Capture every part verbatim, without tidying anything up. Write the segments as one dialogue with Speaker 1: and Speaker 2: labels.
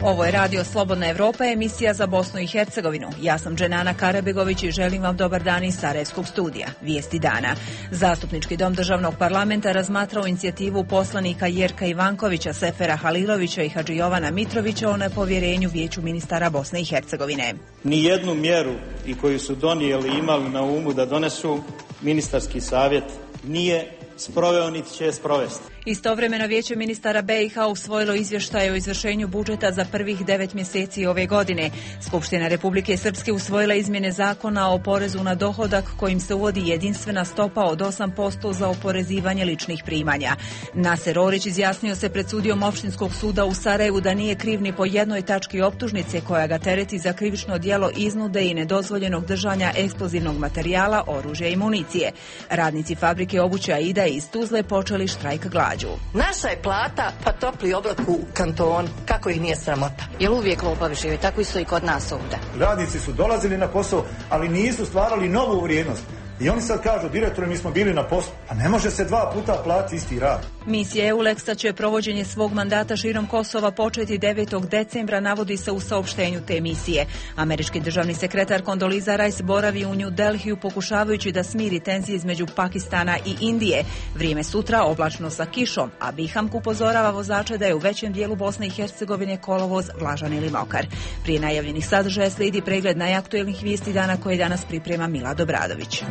Speaker 1: Ovo je Radio Slobodna Evropa, emisija za Bosnu i Hercegovinu. Ja sam Dženana Karabegović i želim vam dobar dan iz Sarajevskog studija. Vijesti dana. Zastupnički dom državnog parlamenta razmatrao inicijativu poslanika Jerka Ivankovića, Sefera Halilovića i Hadži Jovana Mitrovića o nepovjerenju Vijeću ministara Bosne i Hercegovine.
Speaker 2: Nijednu mjeru i koju su donijeli imali na umu da donesu, ministarski savjet nije sproveo niti će sprovesti.
Speaker 1: Istovremeno Vijeće ministara B i H usvojilo izvještaj o izvršenju budžeta za prvih devet mjeseci ove godine. Skupština Republike Srpske usvojila izmjene zakona o porezu na dohodak kojim se uvodi jedinstvena stopa od osam posto za oporezivanje ličnih primanja. Naser Orić izjasnio se pred sudijom Opštinskog suda u Sarajevu da nije kriv ni po jednoj tački optužnice koja ga tereti za krivično djelo iznude i nedozvoljenog držanja eksplozivnog materijala, oružja i municije. Radnici fabrike obuće Aida iz Tuzle počeli štrajk glađu.
Speaker 3: Naša je plata pa topli obrok u kantonu. Kako ih nije sramota?
Speaker 4: Jel uvijek lopovi žive? Tako isto i kod nas ovdje.
Speaker 5: Radnici su dolazili na posao, ali nisu stvarali novu vrijednost. I oni sad kažu, direktore, mi smo bili na poslu. A ne može se dva puta platiti isti rad.
Speaker 1: Misija EULEX-a će provođenje svog mandata širom Kosova početi devetog decembra, navodi se u saopštenju te misije. Američki državni sekretar Condoleezza Rice boravi u New Delhiju pokušavajući da smiri tenzije između Pakistana i Indije. Vrijeme sutra oblačno sa kišom, a Bihamk upozorava vozače da je u većem dijelu Bosne i Hercegovine kolovoz vlažan ili mokar. Prije najavljenih sadržaja slijedi pregled najaktuelnih vijesti dana koje danas priprema Milad Obradović.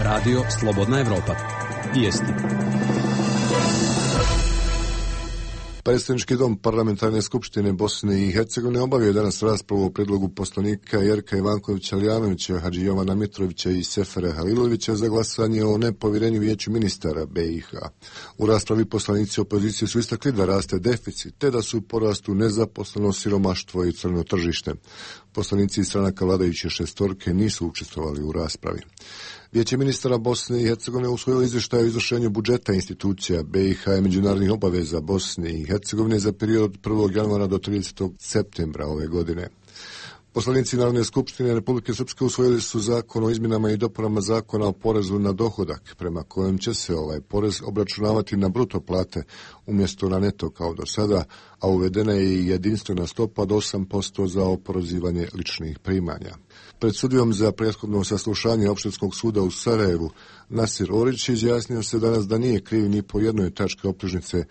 Speaker 6: Radio Slobodna Evropa. Vijesti.
Speaker 7: Predstavnički dom Parlamentarne skupštine Bosne i Hercegovine obavio je danas raspravu o predlogu poslanika Jerka Ivankovića Lijanovića, Hadži Jovana Mitrovića i Sefera Halilovića za glasanje o nepovjerenju Vijeću ministara B i H. U raspravi poslanici opozicije su istakli da raste deficit, te da su u porastu nezaposlenost, siromaštvo i crno tržište. Poslanici iz stranaka vladajuće šestorke nisu učestvovali u raspravi. Vijeće ministara Bosne i Hercegovine usvojilo izvještaj o izvršenju budžeta institucija B i H i međunarodnih obaveza Bosne i Hercegovine za period od prvog januara do tridesetog septembra ove godine. Poslanici Narodne skupštine Republike Srpske usvojili su zakon o izmjenama i dopunama zakona o porezu na dohodak, prema kojem će se ovaj porez obračunavati na bruto plate umjesto na neto kao do sada, a uvedena je i jedinstvena stopa od osam posto za oporezivanje ličnih primanja. Pred sudijom za prethodno saslušanje Opštinskog suda u Sarajevu Naser Orić izjasnio se danas da nije kriv ni po jednoj tački optužnice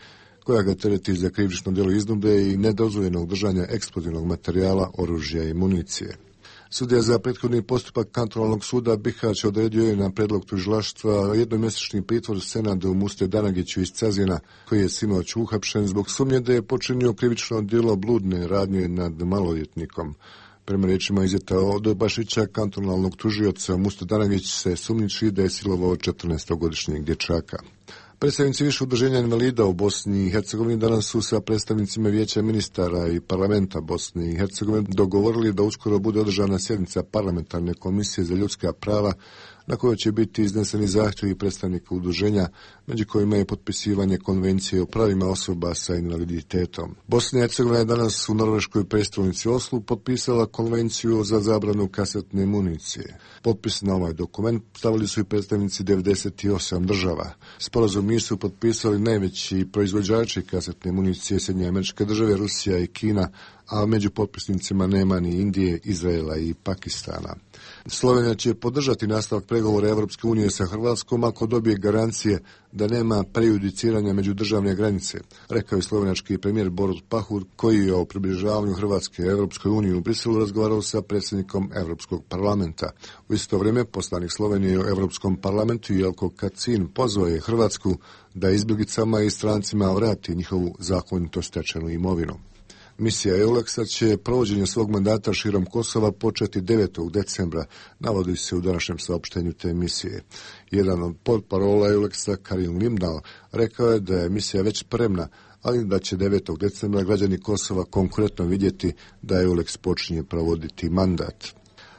Speaker 7: koja ga tereti za krivično djelo iznude i nedozvoljenog držanja eksplozivnog materijala, oružja i municije. Sudija za prethodni postupak kantonalnog suda Bihać odredio je na predlog tužilaštva jednomjesečni pritvor Senadu Muste Danagiću iz Cazina, koji je sinoć uhapšen zbog sumnje da je počinio krivično djelo bludne radnje nad maloljetnikom. Prema riječima Izeta Odobašića, kantonalnog tužioca, Muste Danagić se sumnjiči da je silovao četrnaestogodišnjeg dječaka. Predstavnici više udruženja invalida u Bosni i Hercegovini danas su sa predstavnicima Vijeća ministara i parlamenta Bosne i Hercegovine dogovorili da uskoro bude održana sjednica parlamentarne komisije za ljudska prava na kojoj će biti izneseni zahtjevi predstavnika udruženja, među kojima je potpisivanje konvencije o pravima osoba sa invaliditetom. Bosna i Hercegovina je danas u norveškoj prestolnici Oslu potpisala konvenciju za zabranu kasetne municije. Potpis na ovaj dokument stavili su i predstavnici devedeset osam država. Sporazum nisu potpisali najveći proizvođači kasetne municije Sjedinjene Američke Države, Rusija i Kina, a među potpisnicima nema ni Indije, Izraela i Pakistana. Slovenija će podržati nastavak pregovora Evropske unije sa Hrvatskom ako dobije garancije da nema prejudiciranja međudržavne granice, rekao je slovenački premijer Borut Pahor, koji je o približavanju Hrvatske Evropskoj uniji u Briselu razgovarao sa predsjednikom Evropskog parlamenta. U isto vrijeme poslanik Slovenije u Evropskom parlamentu Jelko Kacin pozvao je Hrvatsku da izbjeglicama i strancima vrati njihovu zakonito stečenu imovinu. Misija EULEX-a će provođenje svog mandata širom Kosova početi devetog decembra, navodi se u današnjem saopštenju te misije. Jedan od portparola EULEX-a, Karin Limdal, rekao je da je misija već spremna, ali da će devetog decembra građani Kosova konkretno vidjeti da EULEX počinje provoditi mandat.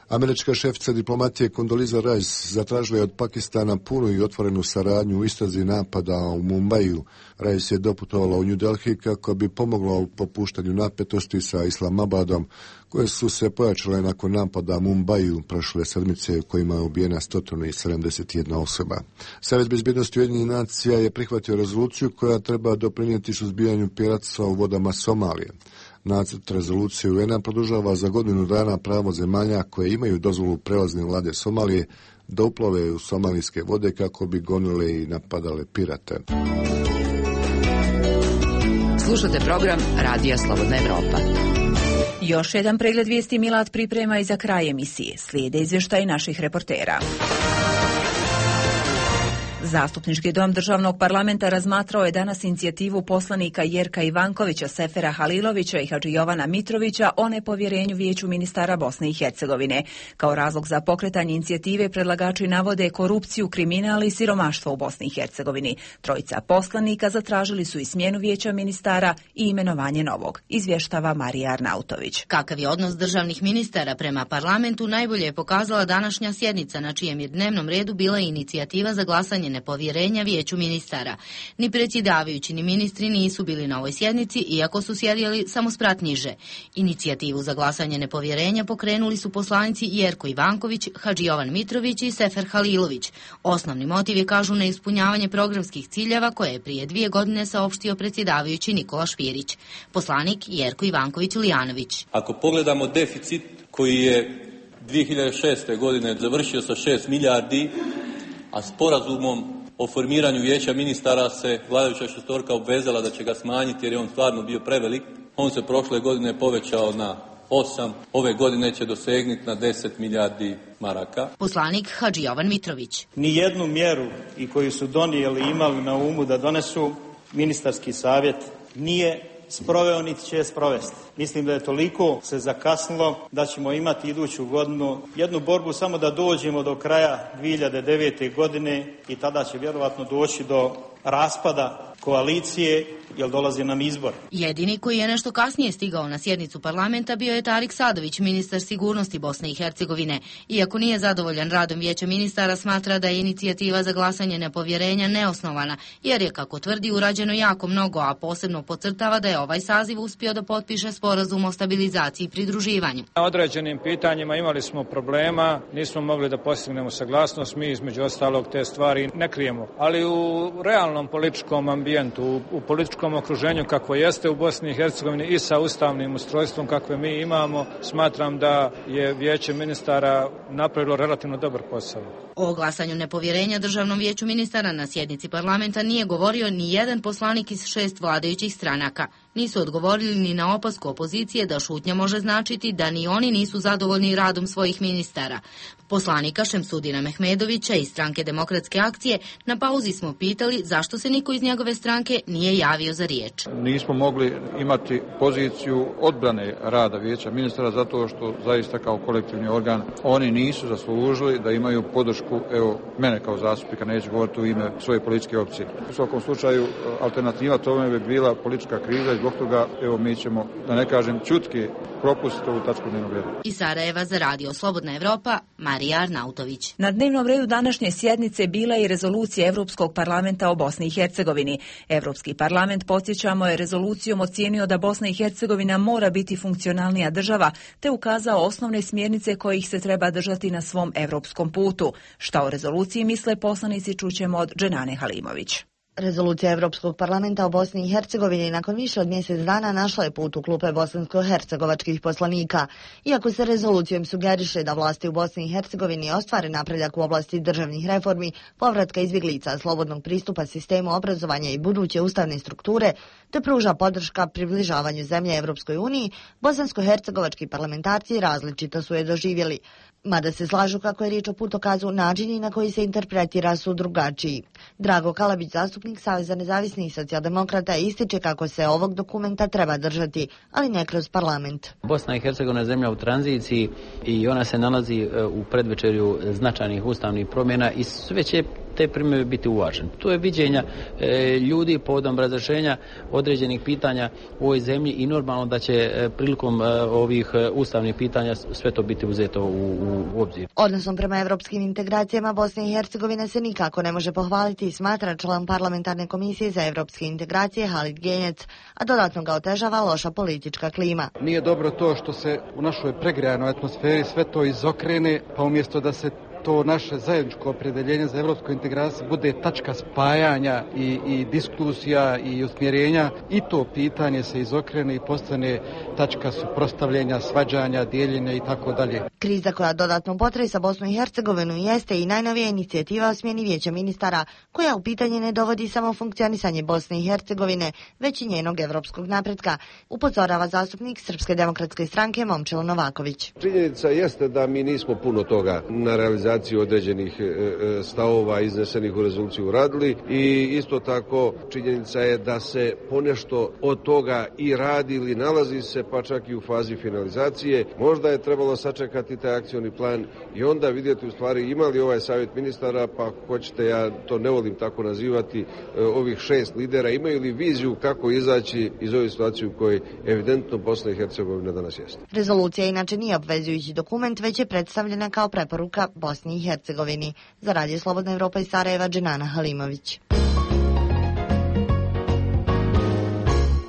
Speaker 7: Američka šefica diplomatije Condoleezza Rice zatražila je od Pakistana punu i otvorenu saradnju u istrazi napada u Mumbaiju. Rice je doputovala u New Delhi kako bi pomogla u popuštanju napetosti sa Islamabadom, koje su se pojačale nakon napada u Mumbaju prošle sedmice, kojima je ubijena sto sedamdeset jedna osoba. Savjet bezbjednosti Ujedinjenih nacija je prihvatio rezoluciju koja treba doprinijeti suzbijanju piratstva u vodama Somalije. Nacrt rezolucije U N-a produžava za godinu dana pravo zemalja koje imaju dozvolu prelazne vlade Somalije da uplove u somalijske vode kako bi gonile i napadale pirate.
Speaker 8: Slušate program Radija Slobodna Evropa.
Speaker 1: Još jedan pregled vijesti Milad priprema i za kraj emisije. Slijede izvještaj naših reportera. Zastupnički dom Državnog parlamenta razmatrao je danas inicijativu poslanika Jerka Ivankovića, Sefera Halilovića i Hadži Jovana Mitrovića o nepovjerenju Vijeću ministara Bosne i Hercegovine. Kao razlog za pokretanje inicijative predlagači navode korupciju, kriminal i siromaštvo u Bosni i Hercegovini. Trojica poslanika zatražili su i smjenu Vijeća ministara i imenovanje novog. Izvještava Marija Arnautović.
Speaker 4: Kakav je odnos državnih ministara prema parlamentu najbolje je pokazala današnja sjednica, na čijem je dnevnom redu bila inicijativa za glasanje nepovjerenja Vijeću ministara. Ni predsjedavajući ni ministri nisu bili na ovoj sjednici, iako su sjedili samo sprat niže. Inicijativu za glasanje nepovjerenja pokrenuli su poslanici Jerko Ivanković, Hadži Jovan Mitrović i Sefer Halilović. Osnovni motiv je, kažu, neispunjavanje programskih ciljeva koje je prije dvije godine saopštio predsjedavajući Nikola Špirić. Poslanik Jerko Ivanković Lijanović.
Speaker 9: Ako pogledamo deficit koji je dvije hiljade šeste. godine završio sa šest milijardi, a sporazumom o formiranju Vijeća ministara se vladajuća šestorka obvezala da će ga smanjiti jer je on stvarno bio prevelik. On se prošle godine povećao na osam, ove godine će dosegnuti na deset milijardi maraka.
Speaker 4: Poslanik Hadži Jovan Mitrović.
Speaker 2: Ni jednu mjeru i koju su donijeli imali na umu da donesu, ministarski savjet nije sproveo niti će je sprovesti. Mislim da je toliko se zakasnilo da ćemo imati iduću godinu jednu borbu samo da dođemo do kraja dvije hiljade devete. godine i tada će vjerovatno doći do raspada koalicije, jer dolazi nam izbor.
Speaker 4: Jedini koji je nešto kasnije stigao na sjednicu parlamenta bio je Tarik Sadović, ministar sigurnosti Bosne i Hercegovine. Iako nije zadovoljan radom Vijeća ministara, smatra da je inicijativa za glasanje nepovjerenja neosnovana, jer je, kako tvrdi, urađeno jako mnogo, a posebno podcrtava da je ovaj saziv uspio da potpiše sporazum o stabilizaciji i pridruživanju.
Speaker 10: Na određenim pitanjima imali smo problema, nismo mogli da postignemo saglasnost, mi između ostalog te stvari ne krijemo. Ali u realnom političkom ambijentu, u, u političkom okruženju kakvo jeste u Bosni i Hercegovini i sa ustavnim ustrojstvom kakve mi imamo, smatram da je Vijeće ministara napravilo relativno dobar posao.
Speaker 4: O glasanju nepovjerenja Državnom vijeću ministara na sjednici parlamenta nije govorio ni jedan poslanik iz šest vladajućih stranaka. Nisu odgovorili ni na opasku opozicije da šutnja može značiti da ni oni nisu zadovoljni radom svojih ministara. Poslanika Šemsudina Mehmedovića iz stranke Demokratske akcije na pauzi smo pitali zašto se niko iz njegove stranke nije javio za riječ.
Speaker 11: Nismo mogli imati poziciju odbrane rada Vijeća ministara zato što zaista kao kolektivni organ oni nisu zaslužili da imaju podršku, evo, mene kao zastupnika, neću govoriti u ime svoje političke opcije. U svakom slučaju alternativa tome bi bila politička kriza i zbog toga, evo, mi ćemo, da ne kažem čutki, propustiti ovu tačku dnevnog reda.
Speaker 4: Iz Sarajeva za Radio Slobodna Evropa, Marija Arnautović.
Speaker 1: Na dnevnom redu današnje sjednice bila je i rezolucija Europskog parlamenta o Bosni i Hercegovini. Europski parlament, podsjećamo, je rezolucijom ocijenio da Bosna i Hercegovina mora biti funkcionalnija država, te ukazao osnovne smjernice kojih se treba držati na svom europskom putu. Šta o rezoluciji misle poslanici čućemo od Dženane Halimović.
Speaker 12: Rezolucija Europskog parlamenta o Bosni i Hercegovini nakon više od mjesec dana našla je put u klupe bosansko-hercegovačkih poslanika. Iako se rezolucijom sugeriše da vlasti u Bosni i Hercegovini ostvare napredak u oblasti državnih reformi, povratka izbjeglica, slobodnog pristupa sistemu obrazovanja i buduće ustavne strukture, te pruža podrška približavanju zemlje Evropskoj uniji, bosansko-hercegovački parlamentarci različito su je doživjeli. Mada se slažu kako je riječ o putokazu, načini na koji se interpretira su drugačiji. Drago Kalabić, zastupnik Saveza nezavisnih socijaldemokrata, ističe kako se ovog dokumenta treba držati, ali ne kroz parlament.
Speaker 13: Bosna i Hercegovina je zemlja u tranziciji i ona se nalazi u predvečerju značajnih ustavnih promjena i sve će te primjedbe biti uvažene. To je viđenja e, ljudi povodom razrješenja određenih pitanja u ovoj zemlji i normalno da će e, prilikom e, ovih e, ustavnih pitanja sve to biti uzeto u, u, u obzir.
Speaker 12: Odnosom prema evropskim integracijama Bosne i Hercegovine se nikako ne može pohvaliti i smatra član parlamentarne komisije za evropske integracije Halid Genjec, a dodatno ga otežava loša politička klima.
Speaker 14: Nije dobro to što se u našoj pregrejanoj atmosferi sve to izokrene, pa umjesto da se to naše zajedničko opredjeljenje za evropsku integraciju bude tačka spajanja i, i diskusija i usmjerenja, i to pitanje se izokrene i postane tačka suprotstavljenja, svađanja, dijeljenja i tako dalje.
Speaker 12: Kriza koja dodatno potresa Bosnu i Hercegovinu jeste i najnovija inicijativa o smjeni vijeća ministara, koja u pitanje ne dovodi samo funkcionisanje Bosne i Hercegovine, već i njenog evropskog napretka, upozorava zastupnik Srpske demokratske stranke Momčilo Novaković.
Speaker 15: Činjenica jeste da mi nismo puno toga na realizaciju određenih stavova iznesenih u rezoluciju uradili i isto tako činjenica je da se ponešto od toga i radi ili nalazi se pa čak i u fazi finalizacije. Možda je trebalo sačekati taj akcioni plan i onda vidjeti u stvari ima li ovaj savjet ministara, pa hoćete, ja to ne volim tako nazivati, ovih šest lidera, imaju li viziju kako izaći iz ove situacije u kojoj evidentno Bosna i Hercegovina danas jeste.
Speaker 12: Rezolucija inače nije obvezujući dokument, već je predstavljena kao preporuka Bosni i Hercegovini. Za Radio Slobodna Evropa iz Sarajeva, Dženana Halimović.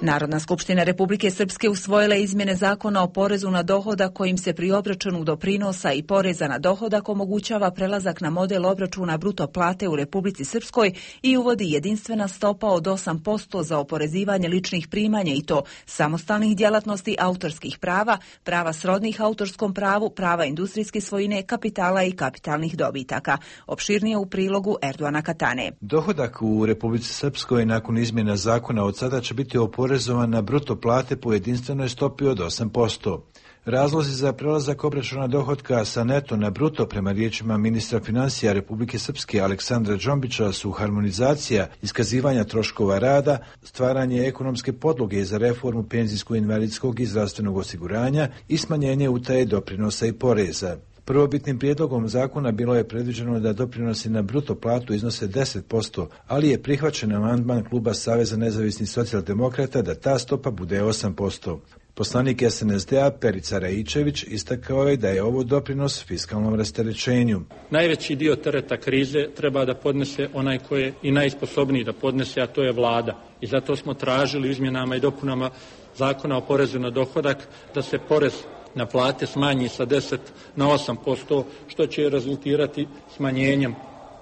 Speaker 1: Narodna skupština Republike Srpske usvojila izmjene zakona o porezu na dohodak kojim se pri obračunu doprinosa i poreza na dohodak omogućava prelazak na model obračuna bruto plate u Republici Srpskoj i uvodi jedinstvena stopa od osam posto za oporezivanje ličnih primanja i to samostalnih djelatnosti, autorskih prava, prava srodnih autorskom pravu, prava industrijske svojine, kapitala i kapitalnih dobitaka. Opširnije u prilogu Erdoana Katane.
Speaker 16: Dohodak u Republici Srpskoj nakon izmjena zakona od sada će biti oporezovan na bruto plate po jedinstvenoj stopi od osam posto. Razlozi za prelazak obračuna dohotka sa neto na bruto prema riječima ministra financija Republike Srpske Aleksandra Džombića su harmonizacija iskazivanja troškova rada, stvaranje ekonomske podloge za reformu penzijsko-invalidskog i zdravstvenog osiguranja i smanjenje utaje doprinosa i poreza. Prvobitnim prijedlogom zakona bilo je predviđeno da doprinosi na bruto platu iznose deset posto, ali je prihvaćen amandman kluba Saveza nezavisnih socijaldemokrata da ta stopa bude osam posto. Poslanik es en es de a Perica Raičević istakao je da je ovo doprinos fiskalnom rasterećenju.
Speaker 10: Najveći dio tereta krize treba da podnese onaj koji je i najsposobniji da podnese, a to je vlada. I zato smo tražili izmjenama i dopunama zakona o porezu na dohodak da se porez na plate smanji sa deset na osam posto, što će rezultirati smanjenjem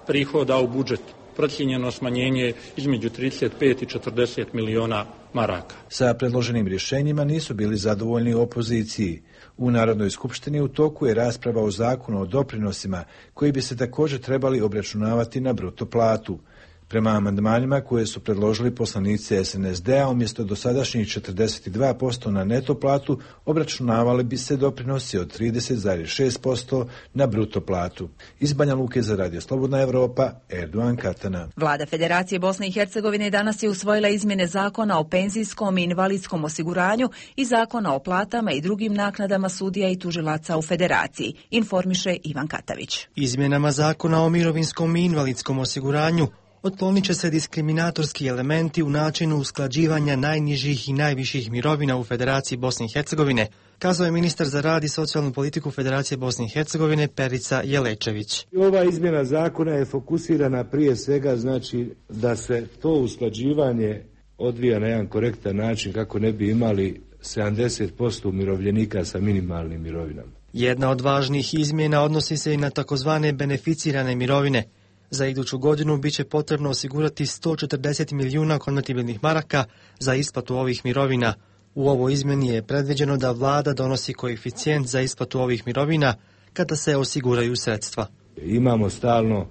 Speaker 10: prihoda u budžetu. Procijenjeno smanjenje između trideset pet i četrdeset miliona maraka.
Speaker 16: Sa predloženim rješenjima nisu bili zadovoljni u opoziciji. U Narodnoj skupštini u toku je rasprava o zakonu o doprinosima koji bi se također trebali obračunavati na bruto platu. Prema amandmanima koje su predložili poslanici es en es de a, umjesto dosadašnjih četrdeset dva posto na neto platu, obračunavali bi se doprinosi od trideset zarez šest posto na bruto platu. Iz Banja Luke za Radio Slobodna Evropa, Erdoan Katana.
Speaker 1: Vlada Federacije Bosne i Hercegovine danas je usvojila izmjene zakona o penzijskom i invalidskom osiguranju i zakona o platama i drugim naknadama sudija i tužilaca u Federaciji, informiše Ivan Katavić.
Speaker 17: Izmjenama zakona o mirovinskom i invalidskom osiguranju otklonit će se diskriminatorski elementi u načinu usklađivanja najnižih i najviših mirovina u Federaciji Bosne i Hercegovine, kazao je ministar za rad i socijalnu politiku Federacije Bosne i Hercegovine Perica Jelečević.
Speaker 18: Ova izmjena zakona je fokusirana prije svega znači da se to usklađivanje odvija na jedan korektan način kako ne bi imali sedamdeset posto umirovljenika sa minimalnim mirovinama.
Speaker 17: Jedna od važnih izmjena odnosi se i na takozvane beneficirane mirovine. Za iduću godinu bit će potrebno osigurati sto četrdeset milijuna konvertibilnih maraka za isplatu ovih mirovina. U ovoj izmjeni je predviđeno da vlada donosi koeficijent za isplatu ovih mirovina kada se osiguraju sredstva.
Speaker 18: Imamo stalno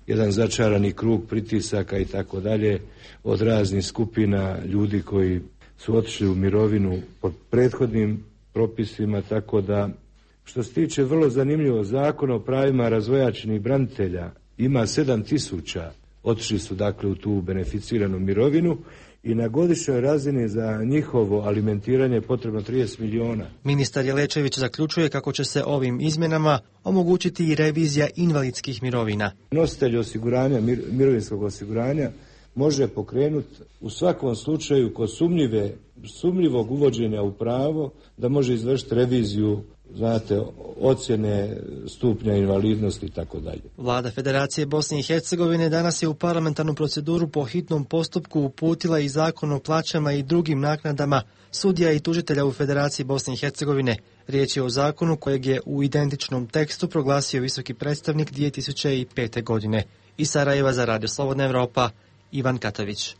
Speaker 18: jedan začarani krug pritisaka i tako dalje od raznih skupina ljudi koji su otišli u mirovinu pod prethodnim propisima, tako da što se tiče vrlo zanimljivo zakona o pravima razvojačenih branitelja, ima sedam tisuća, otišli su dakle u tu beneficiranu mirovinu i na godišnjoj razini za njihovo alimentiranje je potrebno trideset miliona.
Speaker 17: Ministar Jelečević zaključuje kako će se ovim izmjenama omogućiti i revizija invalidskih mirovina.
Speaker 18: Nositelj osiguranja, mir, mirovinskog osiguranja može pokrenuti u svakom slučaju kod sumnjive, sumnjivog uvođenja u pravo da može izvršiti reviziju, znate, ocjene stupnja invalidnosti i tako dalje.
Speaker 17: Vlada Federacije Bosne i Hercegovine danas je u parlamentarnu proceduru po hitnom postupku uputila i zakon o plaćama i drugim naknadama sudija i tužitelja u Federaciji Bosne i Hercegovine. Riječ je o zakonu kojeg je u identičnom tekstu proglasio visoki predstavnik dvije tisuće pete. godine. Iz Sarajeva za Radio Slobodna Evropa, Ivan Katović.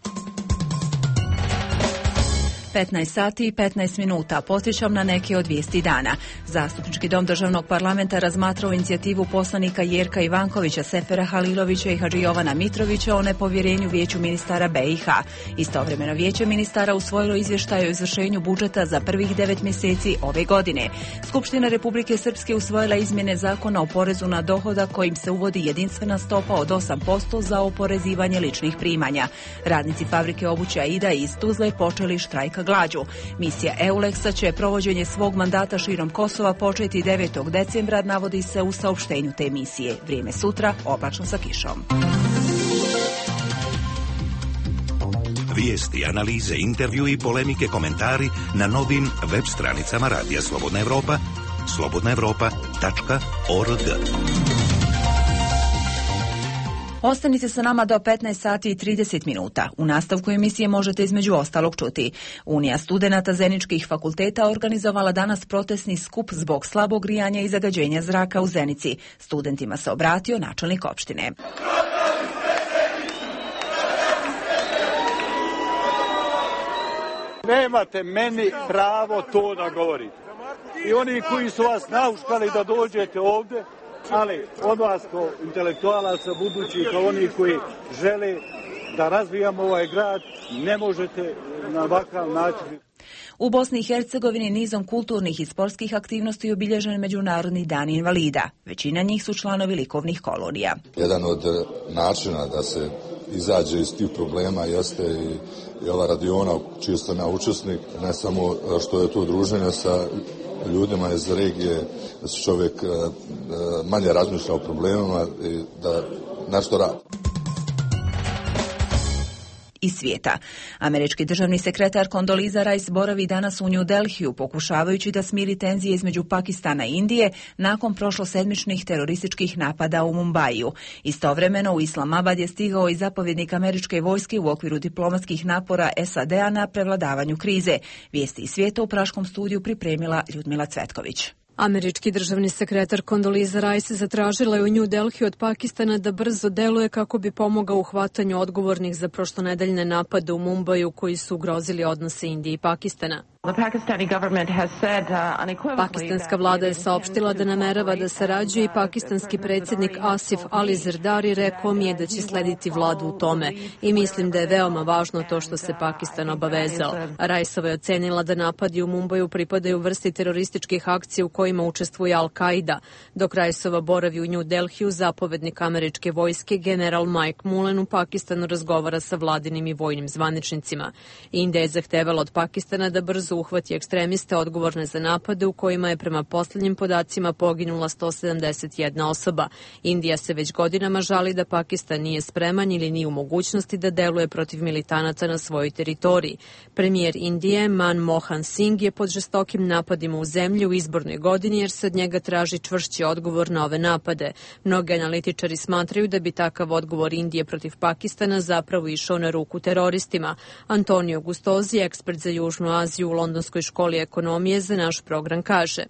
Speaker 1: petnaest sati i petnaest minuta. Podsjećam na neke od vijesti dana. Zastupnički dom državnog parlamenta razmatrao inicijativu poslanika Jerka Ivankovića, Sefera Halilovića i Hadži Jovana Mitrovića o nepovjerenju vijeću ministara B i H. Istovremeno vijeće ministara usvojilo izvještaj o izvršenju budžeta za prvih devet mjeseci ove godine. Skupština Republike Srpske usvojila izmjene zakona o porezu na dohodak kojim se uvodi jedinstvena stopa od osam posto za oporezivanje ličnih primanja. Radnici fabrike obuće Aida iz Tuzle počeli štrajk glađu. Misija EULEX-a će provođenje svog mandata širom Kosova početi devetog decembra, navodi se u saopštenju te misije. Vrijeme sutra oblačno sa kišom.
Speaker 19: Vijesti, analize, intervju i polemike, komentari na novim web stranicama Radija Slobodna Evropa, slobodna evropa tačka org.
Speaker 1: Ostanite sa nama do petnaest sati i trideset minuta. U nastavku emisije možete između ostalog čuti. Unija studenata Zeničkih fakulteta organizovala danas protestni skup zbog slabog grijanja i zagađenja zraka u Zenici. Studentima se obratio načelnik opštine.
Speaker 20: Nemate meni pravo to da govorite. I oni koji su vas nauškali da dođete ovdje, ali od vas kao intelektualaca budući kao oni koji žele da razvijamo ovaj grad, ne možete na ovakav način.
Speaker 1: U Bosni i Hercegovini nizom kulturnih i sportskih aktivnosti obilježen Međunarodni dan invalida. Većina njih su članovi likovnih kolonija.
Speaker 21: Jedan od načina da se izađe iz tih problema jeste i, i ova radiona čiji sam ja učesnik, ne samo što je to druženje sa ljudima iz regije, da se čovjek manje razmišlja o problemima i da nešto radi.
Speaker 1: Iz svijeta. Američki državni sekretar Condoleezza Rice boravi danas u New Delhiju, pokušavajući da smiri tenzije između Pakistana i Indije nakon prošlosedmičnih terorističkih napada u Mumbaiju. Istovremeno u Islamabad je stigao i zapovjednik američke vojske u okviru diplomatskih napora S A D-a na prevladavanju krize. Vijesti iz svijeta u praškom studiju pripremila Ljudmila Cvetković.
Speaker 22: Američki državni sekretar Condoleezza Rice zatražila je u New Delhi od Pakistana da brzo deluje kako bi pomogao u hvatanju odgovornih za prošlonedeljne napade u Mumbaju koji su ugrozili odnose Indije i Pakistana. Pakistanska vlada je saopštila da namerava da sarađuje i pakistanski predsjednik Asif Ali Zardari rekao mi je da će slediti vladu u tome i mislim da je veoma važno to što se Pakistan obavezao. Riceova je ocenila da napadi u Mumbaju pripadaju vrsti terorističkih akcija u kojima učestvuje Al-Qaida. Dok Riceova boravi u New Delhiju, zapovednik američke vojske general Mike Mullen u Pakistanu razgovara sa vladinim i vojnim zvaničnicima. Indija je zahtevala od Pakistana da brzo uhvati ekstremiste odgovorne za napade u kojima je prema posljednjim podacima poginula sto sedamdeset jedna osoba. Indija se već godinama žali da Pakistan nije spreman ili nije u mogućnosti da deluje protiv militanata na svojoj teritoriji. Premijer Indije Manmohan Singh je pod žestokim napadima u zemlji u izbornoj godini jer se od njega traži čvršći odgovor na ove napade. Mnogi analitičari smatraju da bi takav odgovor Indije protiv Pakistana zapravo išao na ruku teroristima. Antonio Gustozi, ekspert za Južnu Aziju u Londonskoj školi ekonomije, za naš program kaže: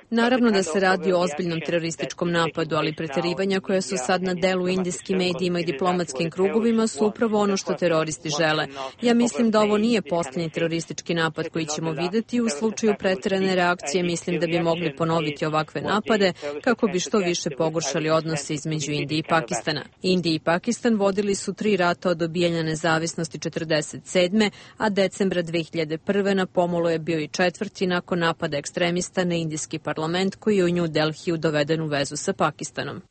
Speaker 22: Naravno da se radi o ozbiljnom terorističkom napadu, ali preterivanja koja su sad na delu u indijskim medijima i diplomatskim krugovima su upravo ono što teroristi žele. Ja mislim da ovo nije posljednji teroristički napad koji ćemo vidjeti. U slučaju preterane reakcije mislim da bi mogli ponoviti ovakve napade kako bi što više pogoršali odnose između Indije i Pakistana. Indija i Pakistan vodili su tri rata od dobijanja nezavisnosti četrdeset sedme, a decembra dve hiljade prve na pomolu je bio i četvrti nakon napada ekstremista na indijski parlament koji je u New Delhiju doveden u vezu sa Pakistanom.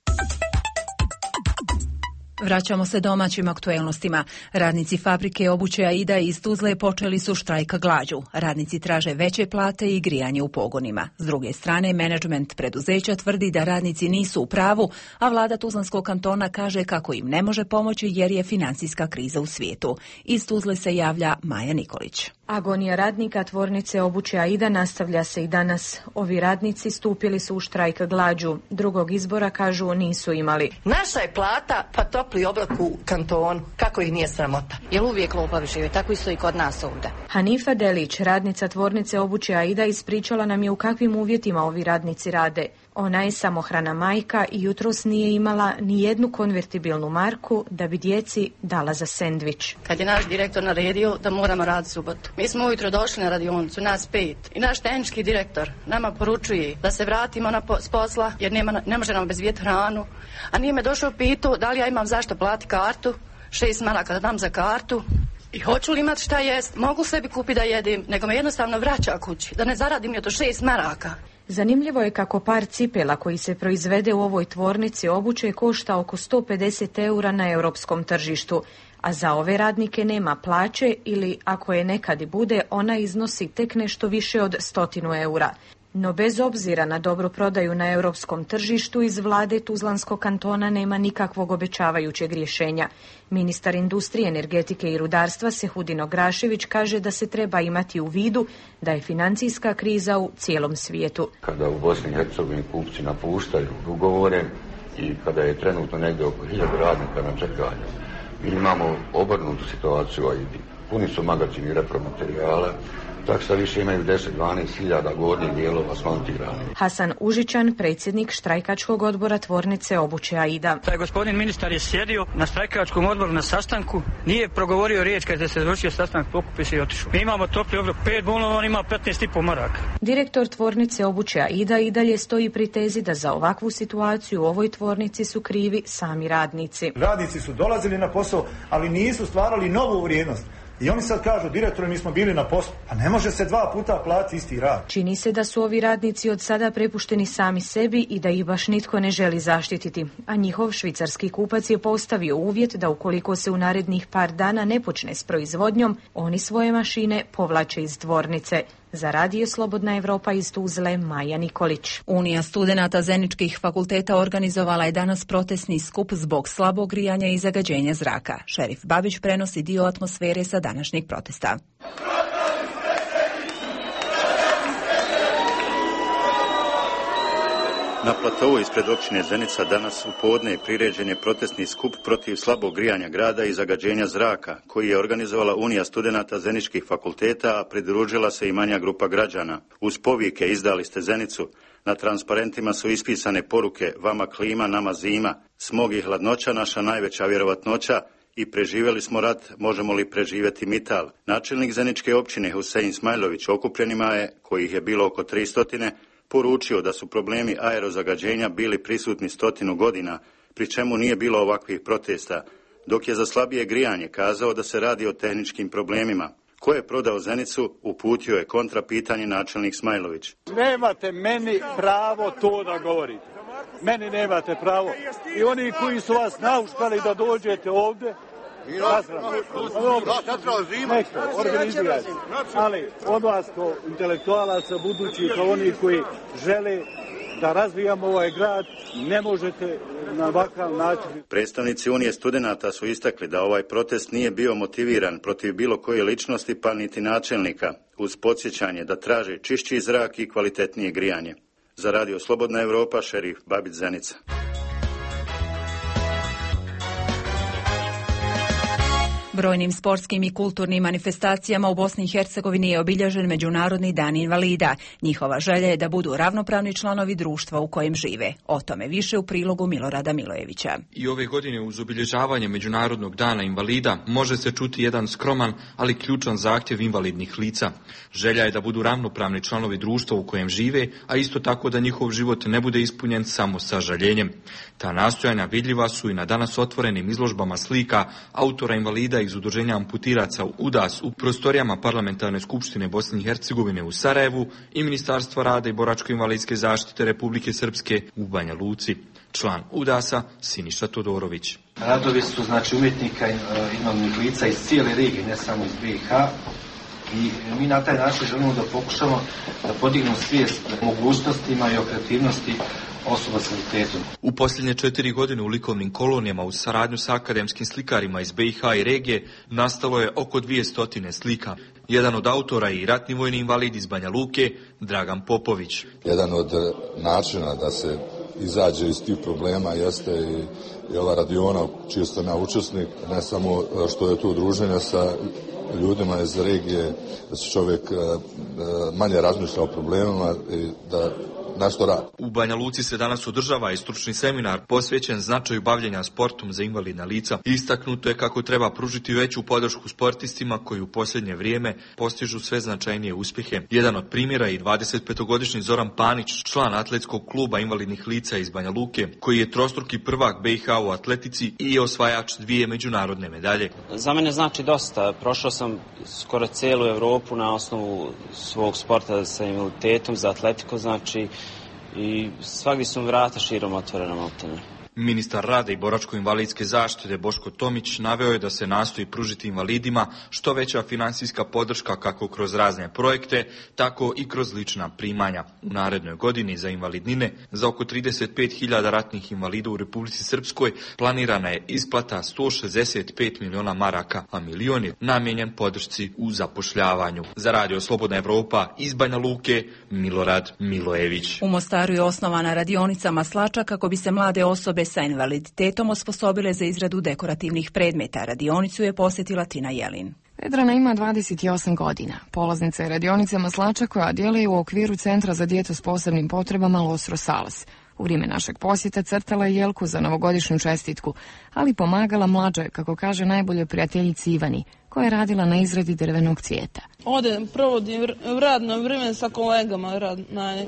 Speaker 1: Vraćamo se domaćim aktuelnostima. Radnici fabrike obuće Aida iz Tuzle počeli su štrajk glađu. Radnici traže veće plate i grijanje u pogonima. S druge strane, menadžment preduzeća tvrdi da radnici nisu u pravu, a vlada Tuzlanskog kantona kaže kako im ne može pomoći jer je financijska kriza u svijetu. Iz Tuzle se javlja Maja Nikolić.
Speaker 3: Agonija radnika tvornice obuće Aida nastavlja se i danas. Ovi radnici stupili su u štrajk glađu. Drugog izbora, kažu, nisu imali.
Speaker 5: Naša je plata pa topli oblak u kantonu. Kako ih nije sramota?
Speaker 23: Jel uvijek lopavi žive? Tako isto i kod nas ovdje.
Speaker 3: Hanifa Delić, radnica tvornice obuće Aida, ispričala nam je u kakvim uvjetima ovi radnici rade. Ona je samohrana majka i jutros nije imala ni jednu konvertibilnu marku da bi djeci dala za sendvič.
Speaker 23: Kad je naš direktor naredio da moramo raditi subotu. Mi smo ujutro došli na radionicu, nas pet. I naš tehnički direktor nama poručuje da se vratimo na po, s posla jer nema, ne može nam obezbijeti hranu. A nije me došao pitu da li ja imam zašto plati kartu, šest maraka da dam za kartu. I hoću li imati šta jest, mogu sebi kupiti da jedim, nego me jednostavno vraća kući, da ne zaradim je to šest maraka.
Speaker 3: Zanimljivo je kako par cipela koji se proizvede u ovoj tvornici obuće košta oko sto pedeset eura na europskom tržištu, a za ove radnike nema plaće ili, ako je nekad i bude, ona iznosi tek nešto više od stotinu eura. No bez obzira na dobru prodaju na europskom tržištu, iz vlade Tuzlanskog kantona nema nikakvog obećavajućeg rješenja. Ministar industrije, energetike i rudarstva Sehudin Ograšević kaže da se treba imati u vidu da je financijska kriza u cijelom svijetu.
Speaker 24: Kada u Bosni i Hercegovini kupci napuštaju ugovore i kada je trenutno negdje oko hiljadu radnika na čekanju, mi imamo obrnutu situaciju, a puni su magazini repromaterijala, tako što više imaju deset do dvanaest hiljada gornjih dijelova smontirani.
Speaker 3: Hasan Užičan, predsjednik štrajkačkog odbora tvornice obuće Aida.
Speaker 25: Taj gospodin ministar je sjedio na štrajkačkom odboru na sastanku, nije progovorio riječ kada se završio sastanak, pokupio se i otišao. Mi imamo topli obrok pet bonova, on ima petnaest i pol maraka.
Speaker 3: Direktor tvornice obuće Aida i dalje stoji pri tezi da za ovakvu situaciju u ovoj tvornici su krivi sami radnici.
Speaker 26: Radnici su dolazili na posao, ali nisu stvarali novu vrijednost. I oni sad kažu, direktore, mi smo bili na poslu. Pa ne može se dva puta platiti isti rad.
Speaker 3: Čini se da su ovi radnici od sada prepušteni sami sebi i da ih baš nitko ne želi zaštititi. A njihov švicarski kupac je postavio uvjet da ukoliko se u narednih par dana ne počne s proizvodnjom, oni svoje mašine povlače iz tvornice. Za Radio Slobodna Evropa iz Tuzle, Maja Nikolić.
Speaker 1: Unija studenata Zeničkih fakulteta organizovala je danas protestni skup zbog slabog grijanja i zagađenja zraka. Šerif Babić prenosi dio atmosfere sa današnjeg protesta.
Speaker 27: Na platovu ispred općine Zenica danas u podne priređen je protestni skup protiv slabog grijanja grada i zagađenja zraka, koji je organizovala Unija studenata Zeničkih fakulteta, a pridružila se i manja grupa građana. Uz povike "Izdali ste Zenicu", na transparentima su ispisane poruke "Vama klima, nama zima", "Smog i hladnoća, naša najveća vjerovatnoća" i "Preživjeli smo rat, možemo li preživjeti Mital". Načelnik Zeničke općine Husein Smajlović okupljenima je, kojih je bilo oko tristotine, poručio da su problemi aerozagađenja bili prisutni stotinu godina, pri čemu nije bilo ovakvih protesta, dok je za slabije grijanje kazao da se radi o tehničkim problemima. Ko je prodao Zenicu, uputio je kontra pitanje načelnik Smajlović.
Speaker 20: Nemate meni pravo to da govorite. Meni nemate pravo. I oni koji su vas nauškali da dođete ovdje, organizirajte. Ali od vas kao intelektualaca, budući kao oni koji žele da razvijamo ovaj grad, ne možete na ovakav način.
Speaker 27: Predstavnici Unije studenata su istakli da ovaj protest nije bio motiviran protiv bilo koje ličnosti pa niti načelnika, uz podsjećanje da traže čišći zrak i kvalitetnije grijanje. Za Radio Slobodna Evropa, Šerif Babić, Zenica.
Speaker 1: Brojnim sportskim i kulturnim manifestacijama u Bosni i Hercegovini je obilježen Međunarodni dan invalida. Njihova želja je da budu ravnopravni članovi društva u kojem žive. O tome više u prilogu Milorada Milojevića.
Speaker 28: I ove godine uz obilježavanje Međunarodnog dana invalida može se čuti jedan skroman, ali ključan zahtjev invalidnih lica. Želja je da budu ravnopravni članovi društva u kojem žive, a isto tako da njihov život ne bude ispunjen samo sa žaljenjem. Ta nastojanja vidljiva su i na danas otvorenim izložbama slika autora invalida iz iz udruženja amputiraca U D A S u prostorijama Parlamentarne skupštine Bosne i Hercegovine u Sarajevu i Ministarstva rada i boračko-invalidske zaštite Republike Srpske u Banja Luci. Član U D A S-a Siniša Todorović.
Speaker 2: Radovi su znači umjetnika i invalidnih lica iz cijele regije, ne samo iz B i H. I mi na taj način želimo da pokušamo da podignemo svijest mogućnostima i o kreativnosti osoba s invaliditetom.
Speaker 28: U posljednje četiri godine u likovnim kolonijama u saradnju sa akademskim slikarima iz B i H i regije nastalo je oko dvjesto slika. Jedan od autora i ratni vojni invalid iz Banja Luke, Dragan Popović.
Speaker 21: Jedan od načina da se izađe iz tih problema jeste i, i ova radiona čiji sam ja učesnik, ne samo što je tu udruženje sa ljudima iz regije, da se čovjek manje razmišlja o problemima i da nešto radi.
Speaker 28: U Banja Luci se danas održava i stručni seminar posvećen značaju bavljenja sportom za invalidna lica. Istaknuto je kako treba pružiti veću podršku sportistima koji u posljednje vrijeme postižu sve značajnije uspjehe. Jedan od primjera je i dvadesetpetogodišnji Zoran Panić, član atletskog kluba invalidnih lica iz Banja Luke, koji je trostruki prvak B i H u atletici i osvajač dvije međunarodne medalje.
Speaker 4: Za mene znači dosta. Prošao sam skoro cijelu Europu na osnovu svog sporta sa invaliditetom, za atletiku, znači i svagdje su vrata širom otvorena maltene.
Speaker 28: Ministar rada i boračko-invalidske zaštite Boško Tomić naveo je da se nastoji pružiti invalidima što veća financijska podrška kako kroz razne projekte, tako i kroz lična primanja. U narednoj godini za invalidnine za oko trideset pet hiljada ratnih invalida u Republici Srpskoj planirana je isplata sto šezdeset pet miliona maraka, a milion je namijenjen podršci u zapošljavanju. Za Radio Slobodna Evropa iz Banja Luke, Milorad Milojević.
Speaker 1: U Mostaru je osnovana radionica maslača kako bi se mlade osobe sa invaliditetom osposobile za izradu dekorativnih predmeta. Radionicu je posjetila Tina Jelin.
Speaker 6: Vedrana ima dvadeset osam godina. Polaznica je radionice maslača koja djeluje u okviru Centra za djecu s posebnim potrebama Los Rosales. U vrijeme našeg posjeta crtala je jelku za novogodišnju čestitku, ali pomagala mlađoj, kako kaže, najboljoj prijateljici Ivani, koja je radila na izradi drvenog cvijeta.
Speaker 7: Ovdje provodim radno vrijeme sa kolegama, rad, na,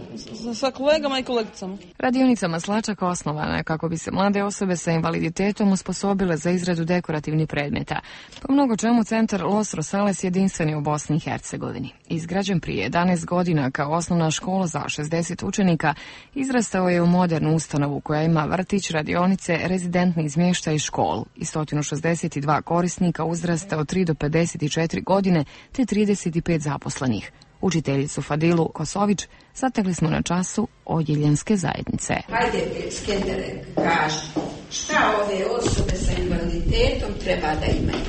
Speaker 7: sa kolegama i kolegicama.
Speaker 6: Radionica maslačaka osnovana je kako bi se mlade osobe sa invaliditetom osposobile za izradu dekorativnih predmeta. Po mnogo čemu centar Los Rosales jedinstven je u Bosni i Hercegovini. Izgrađen prije jedanaest godina kao osnovna škola za šezdeset učenika, izrastao je u modernu ustanovu koja ima vrtić, radionice, rezidentni smještaj i školu i sto šezdeset dva korisnika uzrasta od tri do pedeset četiri godine te trideset pet zaposlenih. Učiteljicu Fadilu Kosović zatekli smo na času odjeljenske zajednice.
Speaker 8: Hajde, Skendere, kaži, šta ove osobe sa invaliditetom treba da imaju?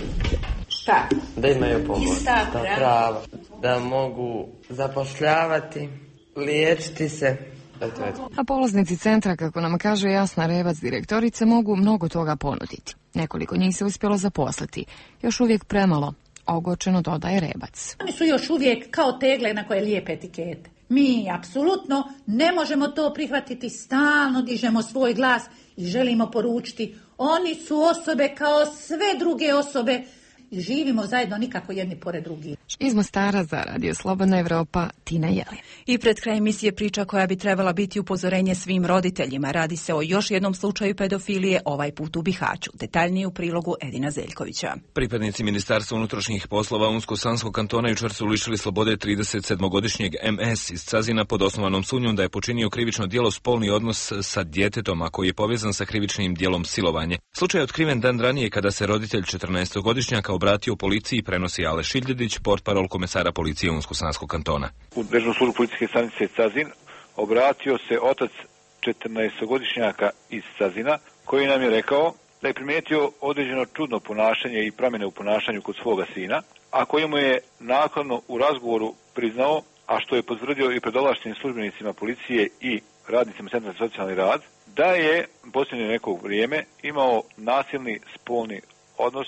Speaker 8: Šta?
Speaker 9: Da imaju pomoć, ista prava. prava, da mogu zapošljavati, liječiti se.
Speaker 6: A polaznici centra, kako nam kaže Jasna Revac, direktorice, mogu mnogo toga ponuditi. Nekoliko njih se uspjelo zaposliti, još uvijek premalo, ogorčeno dodaje Rebac.
Speaker 11: Oni su još uvijek kao tegle na koje lijepe etikete. Mi apsolutno ne možemo to prihvatiti, stalno dižemo svoj glas i želimo poručiti, oni su osobe kao sve druge osobe i živimo zajedno, nikako jedni pored drugih.
Speaker 6: Iz Mostara za Radio Slobodna Evropa, Tina Jelin.
Speaker 1: I pred kraj emisije priča koja bi trebala biti upozorenje svim roditeljima. Radi se o još jednom slučaju pedofilije, ovaj put u Bihaću. Detaljnije u prilogu Edina Zeljkovića.
Speaker 13: Pripadnici Ministarstva unutrašnjih poslova Unsko-Sanskog kantona jučer su lišili slobode trideset sedmogodišnjeg em es iz Cazina pod osnovanom sumnjom da je počinio krivično djelo spolni odnos sa djetetom, a koji je povezan sa krivičnim djelom silovanje. Slučaj je otkriven dan ranije kada se roditelj četrnaestogodišnjaka obratio policiji, prenosi Ale Šiljedić, portparol komesara policije Unsko-Sanskog kantona.
Speaker 29: U državnu službu policijske stanice Cazin obratio se otac četrnaestogodišnjaka iz Cazina, koji nam je rekao da je primijetio određeno čudno ponašanje i promjene u ponašanju kod svoga sina, a koji mu je naknadno u razgovoru priznao, a što je potvrdio i pred ovlaštenim službenicima policije i radnicima Centra za socijalni rad, da je posljednje neko vrijeme imao nasilni spolni odnos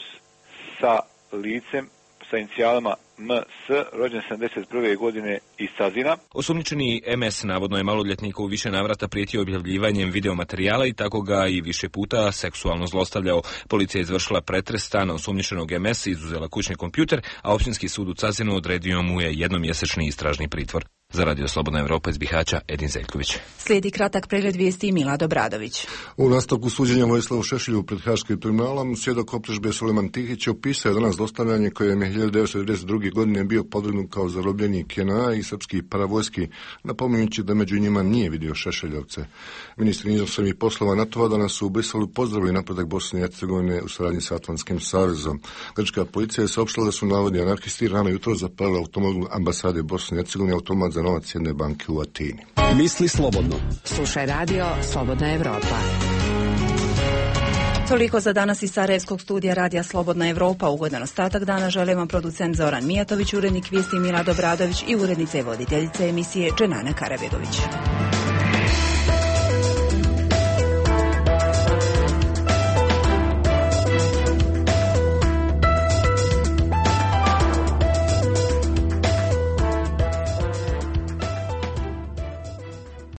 Speaker 29: sa licem sa inicijalama M S, rođen sedamdeset prve godine iz Cazina.
Speaker 13: Osumnjičeni em es navodno je maloljetniku u više navrata prijetio objavljivanjem videomaterijala i tako ga i više puta seksualno zlostavljao. Policija je izvršila pretres stana osumnjičenog em es, izuzela kućni kompjuter, a općinski sud u Cazinu odredio mu je jednomjesečni istražni pritvor. Za Radio Slobodna Evropa iz Bihaća, Edin Zeljković.
Speaker 1: Slijedi kratak pregled vijesti i Milad Obradović.
Speaker 10: U nastavku suđenja Vojislavu Šešelju pred Haškim tribunalom, svjedok optužbe Suleman Tihić opisao je danas dostavljanje kojem je hiljadu devetsto devedeset druge. godine bio podvrgnut kao zarobljenik J N A i srpskih paravojski, napominjući da među njima nije vidio Šešeljovce. Ministri inostranih poslova NATO-a danas su u Briselu pozdravili napredak Bosne i Hercegovine u saradnji sa Atlantskim savezom. Grčka policija je saopštila da su navodni anarhisti rano jutro zapalili automobil ambasade Bosne i Hercegovine, automat za novac jedne banke u Atini.
Speaker 12: Misli slobodno.
Speaker 14: Slušaj radio Slobodna Evropa.
Speaker 1: Toliko za danas iz Sarajevskog studija Radija Slobodna Evropa. Ugodan ostatak dana želim vam producent Zoran Mijatović, urednik vijesti Milad Obradović i urednica i voditeljica emisije Dženana Karabegović.